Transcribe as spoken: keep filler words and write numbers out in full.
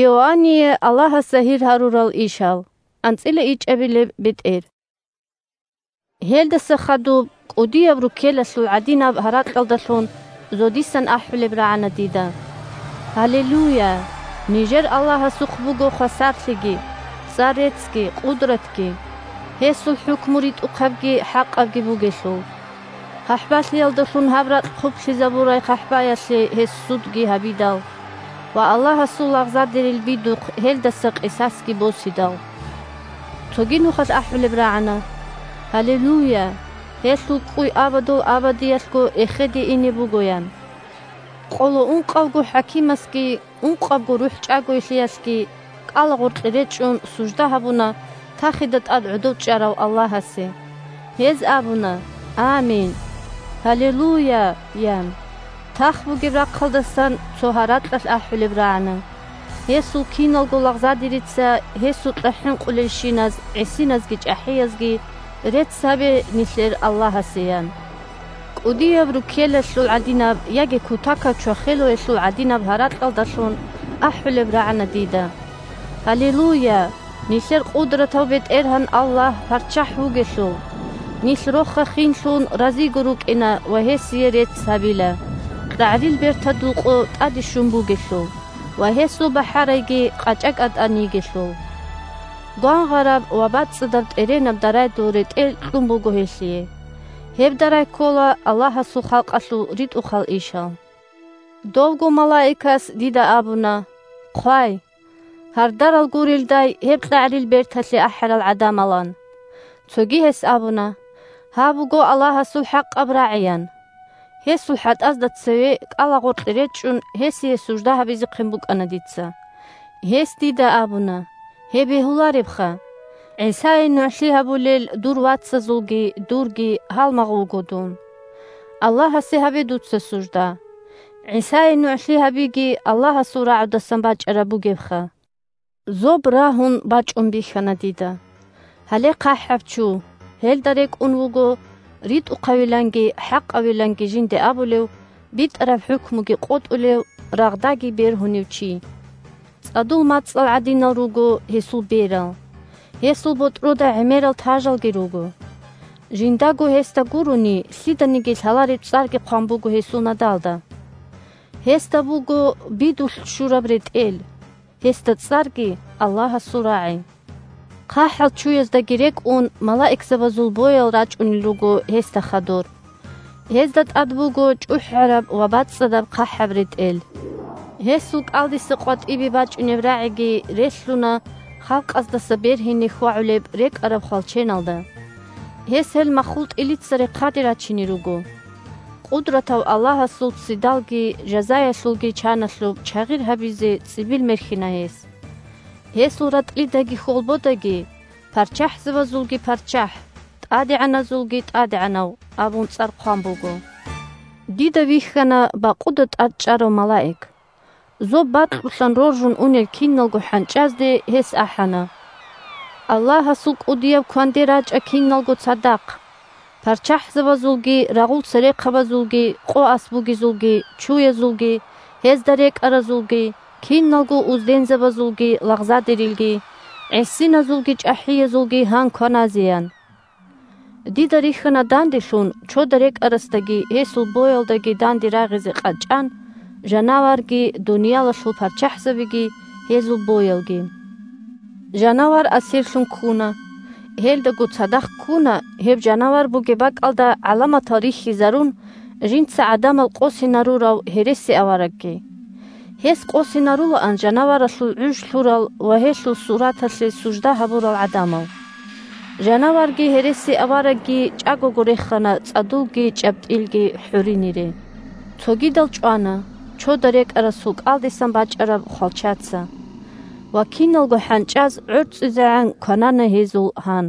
Иоанние Аллагьас загьир гьарурал ишал. АнцӀила ичӀабилеб бетӀер. Гьелдаса хадуб кӀудияб руккелалъул гӀадинаб гьаракьалдалъун зодисан ахӀулеб рагӀана дида: «Гьалелуя! Нижер Аллагьасухъ буго хвасарлъиги, цӀар-реццги, къудратги. Гьесул хӀукму ритӀухъабги хӀакъабги бугелъул. ХъахӀбалъиялдалъун гьаб ракь хъублъизабурай хъахӀбаялъе гьес судги гьабидал ва Аллагьасул лагъзадерил бидухъ гьелдаса къисасги босидал». Цоги нухалъ ахӀулеб рагӀана: «Гьалелуя! Гьелъул кӀуй абадул абадиялъго эхеде ине буго», – ян. Къоло ункъавго хӀакимасги ункъабго рухӀчӀагойлъиялъги кӀалагъоркье речӀчӀун сужда гьабуна тахида тӀад гӀодов чӀарав Аллагьасе. Гьез абуна: «Амин! Гьалелуя!» – ян. Тах бугеб рахъалдасан цо гьаракьалъ ахӀулеб рагӀана: «Гьесул киналго лагъзадерица гьесукьа хӀинкъулелщиназ, гӀисиназги чӀахӀиязги рецц гьабе нилъер Аллагьасе», – ян. КӀудияб руккелалъул гӀадинаб яги кутакаб чвахелоялъул гӀадинаб гьаракьалдалъун ахӀулеб рагӀана дида: «Гьалелуя! Нилъер къудратав БетӀергьан Аллагь парччахӀ вугелъул! Нилъ рохха хинлъун разиго рукӀина ва гьесие рецц гьабила, къагӀрил бертадул къо тӀаде щун бугелъул ва гьесул бахӀарайги къачӀа-кӀатӀан йигелъул. Гвангъараб ва бацӀцӀадаб тӀеренаб дарайдул ретӀел кьун буго гьелъие. Гьеб дарай ккола Аллагьасул халкъалъул ритӀухъал ишал». Довго малаикас дида абуна: «Хъвай, гьардарал гурелдай гьеб къагӀрил берталъе ахӀарал гӀадамалан». Цоги гьес абуна: «Гьаб буго Аллагьасул хӀакъаб рагӀи», – ян. Гьесул хӀатӀазда цеве кӀалагъоркье речӀчӀун гьесие сужда гьабизехъин букӀана дица. Гьес дида абуна: «Гьеб бегьуларебха! ГӀисае нугӀлъи гьабулел дур вацазулги дурги гьалмагъ вуго дун. Аллагьасе гьабе дуца сужда. ГӀисае нугӀлъи гьабиги Аллагьасул рагӀудасан бачӀараб бугебха». Зоб рагьун бачӀун бихьана дида. Гьале хъахӀаб чу, гьелда рекӀун вуго ритӀухъавиланги хӀакъавиланги жинде абулев, битӀараб хӀукмуги къотӀулев, рагъдаги бергьунев чи. ЦӀадул мацӀал гӀадинал руго гьесул берал. Гьесул ботӀрода гӀемерал тажалги руго. Жиндаго гьесда гурони, лъиданиги лъалареб цӀарги хъван буго гьесул надалда. Гьесда буго бидулъ щураб ретӀел, гьесда цӀарги Аллагьасул рагӀи. ХъахӀал чуяздаги рекӀун, малаикзабазул боял рачӀунел руго гьесда хадур. Гьезда тӀад буго чӀухӀараб ва бацӀцӀадаб хъахӀаб ретӀел. Гьесул кӀалдиса къватӀибе бачӀунеб рагӀиги релълъуна халкъаздаса бергьине хьвагӀулеб рекӀараб хвалченалда. Гьес гьел маххул тӀилица рехъаде рачине руго. Къудратав Аллагьасул ццидалги жазаялъулги чаналъуб чагъир гьабизе цӀибил мерхьина гьес. Гьесул ратӀлидаги хьолбодаги: «ПарччахӀзабазулги ПарччахӀ, ТӀадегӀаназулги ТӀадегӀанав», – абун цӀар хъван буго. Дида вихьана бакъуда тӀад чӀарав малаик. Зоб бакьулъан роржун унел киналго хӀанчӀазде гьес ахӀана: «Аллагьасул кӀудияб кванде рачӀа киналго цадахъ! ПарччахӀзабазулги, рагъул церехъабазулги, къо ас бугезулги, чуязулги, гьезда рекӀаразулги, киналго уздензабазулги лагъзадерилги, гӀисиназулги чӀахӀиязулги гьан кваназе», – ян. Дида рихьана данделъун чода рекӀарасдаги гьесул боялдаги данде рагъизе къачӀан, жанаварги, дуниялалъул парччахӀзабиги гьезул боялги. Жанавар асирлъун ккуна. Гьелдаго цадахъ ккуна, гьеб жанавар бугеб бакӀалда гӀаламатал рихьизарун, жинца гӀадамал къосинарурав гьересиаварагги. Гьес къосинарулаан жанаваралъул гӀуж лъурал ва гьелъул сураталъе сужда гьабурал гӀадамал. Жанаварги гьересиаварагги чӀагого рехана цӀадулги чӀаптӀилги хӀуринире. Цогидал чӀвана чода рекӀарасул кӀалдисан бачӀараб хвалчаца. Ва киналго хӀанчӀаз гӀорцӀизегӀан кванана гьезул гьан.